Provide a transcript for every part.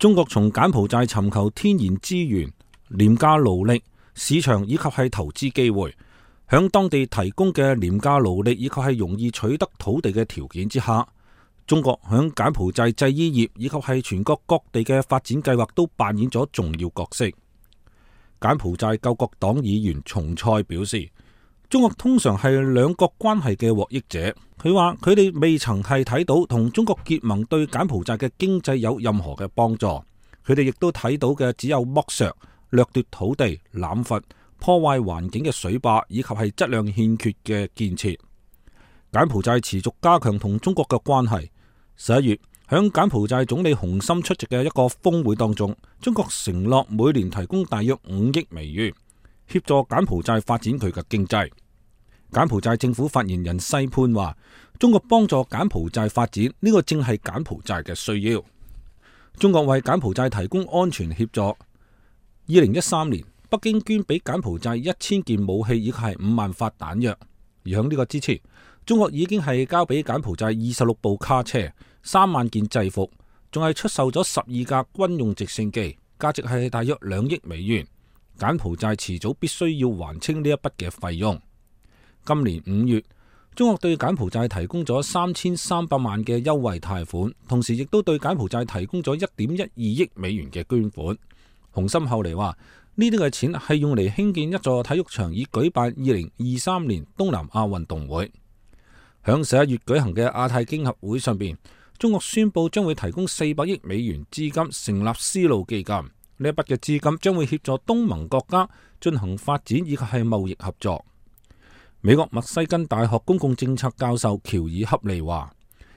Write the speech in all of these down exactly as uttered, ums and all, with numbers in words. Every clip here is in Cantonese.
中國從柬埔寨尋求天然資源、廉價勞力、市場以及係投資機會，響當地提供嘅廉價勞力以及係容易取得土地嘅條件之下，中國響柬埔寨製衣業以及係全國各地嘅發展計劃都扮演咗重要角色。柬埔寨救國黨議員松蔡表示，中國通常係兩國關係嘅獲益者。佢話佢哋未曾係睇到同中國結盟對柬埔寨嘅經濟有任何嘅幫助，佢哋亦都睇到嘅只有剝削、掠奪土地、濫伐、破壞環境嘅水壩以及係質量欠缺嘅建設。柬埔寨持續加強同中國嘅關係。十一月響柬埔寨總理洪森出席嘅一個峰會當中，中國承諾每年提供大約五億美元協助柬埔寨發展佢嘅經濟。柬埔寨政府發言人西潘話，中國幫助柬埔寨發展，呢個正係柬埔寨嘅需要。中國為柬埔寨提供安全協助。二零一三年，北京捐俾柬埔寨一千件武器以及係五萬發彈藥。而響呢個之前，中國已經係交俾柬埔寨二十六部卡車、三萬件制服，仲係出售咗十二架軍用直升機，價值係大約兩億美元。柬埔寨遲早必須要還清呢一筆嘅費用。今年五月，中國對柬埔寨提供咗三千三百萬嘅優惠貸款，同時亦都對柬埔寨提供咗一點一二億美元嘅捐款。洪森後嚟話，呢啲嘅錢係用嚟興建一座體育場，以舉辦二零二三年東南亞運動會。響十一月舉行嘅亞太經合會上邊，中國宣布將會提供四百億美元資金成立絲路基金，呢一筆嘅資金將會協助東盟國家進行發展以及係貿易合作。美國密西根大學公共政策教授喬爾恰利話，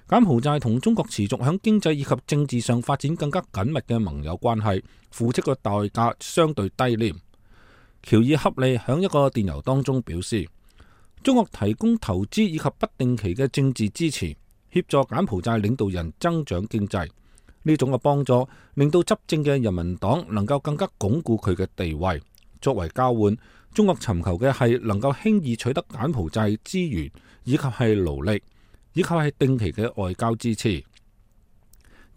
柬埔寨同中國持續響經濟以及政治上發展更加緊密嘅盟友關係，付出嘅代價相對低廉。喬爾恰利響一個電郵當中表示，中國提供投資以及不定期嘅政治支持，協助柬埔寨領導人增長經濟。呢種嘅幫助令到執政嘅人民黨能夠更加鞏固佢嘅地位。作為交換，中國尋求嘅係能夠輕易取得柬埔寨資源以及係勞力，以及係定期嘅外交支持。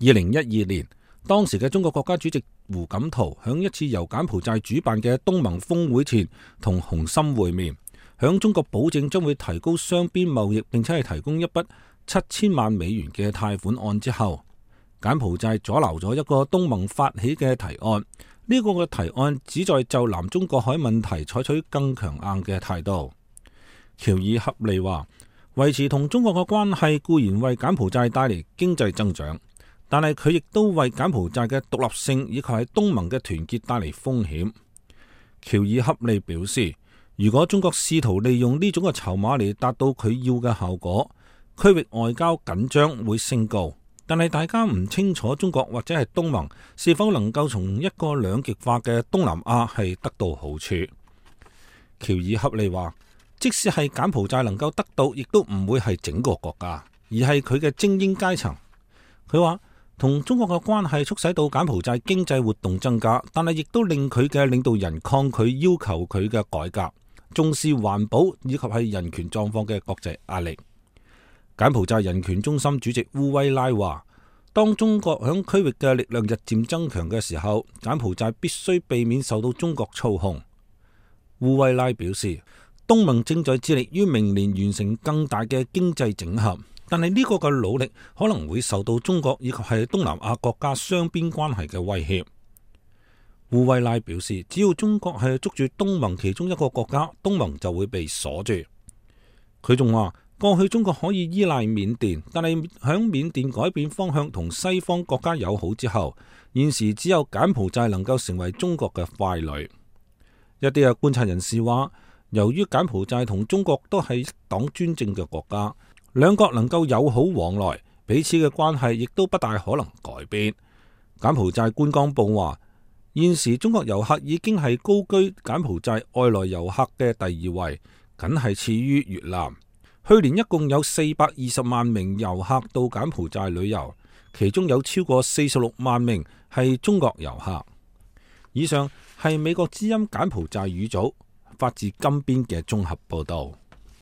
二零一二年，當時嘅中國國家主席胡錦濤響一次由柬埔寨主辦嘅東盟峰會前同洪森會面，響中國保證將會提高雙邊貿易，並且係提供一筆七千萬美元嘅貸款案之後，柬埔寨阻撓咗一個東盟發起嘅提案。呢個嘅提案旨在就南中國海問題採取更強硬嘅態度。喬爾恰利話，維持同中國嘅關係固然為柬埔寨帶嚟經濟增長，但係佢亦都為柬埔寨嘅獨立性以及係東盟嘅團結帶嚟風險。喬爾恰利表示，如果中國試圖利用呢種嘅籌碼嚟達到佢要嘅效果，區域外交緊張會升高。但係大家唔清楚中國或者係東盟是否能夠從一個兩極化嘅東南亞係得到好處。喬爾恰利話，即使係柬埔寨能夠得到，亦都唔會係整個國家，而係佢嘅精英階層。佢話同中國嘅關係促使到柬埔寨經濟活動增加，但係亦都令佢嘅領導人抗拒要求佢嘅改革，重視環保以及係人權狀況嘅國際壓力。柬埔寨人權中心主席烏威拉話，當中國響區域嘅力量日漸增強嘅時候，柬埔寨必須避免受到中國操控。烏威拉表示，東盟正在致力於明年完成更大嘅經濟整合，但係呢個嘅努力可能會受到中國以及係東南亞國家雙邊關係嘅威脅。烏威拉表示，只要中國係捉住東盟其中一個國家，東盟就會被鎖住。佢仲話，過去中國可以依賴緬甸，但係響緬甸改變方向同西方國家友好之後，現時只有柬埔寨能夠成為中國嘅傀儡。一啲嘅觀察人士話，由於柬埔寨同中國都係一黨專政嘅國家，兩國能夠友好往來，彼此嘅關係亦都不大可能改變。柬埔寨觀光部話，現時中國遊客已經係高居柬埔寨外來遊客嘅第二位，僅係次於越南。去年一共有四百二十萬名遊客到柬埔寨旅遊，其中有超過四十六萬名係中國遊客。以上係美國之音柬埔寨語組發自金邊嘅綜合報道。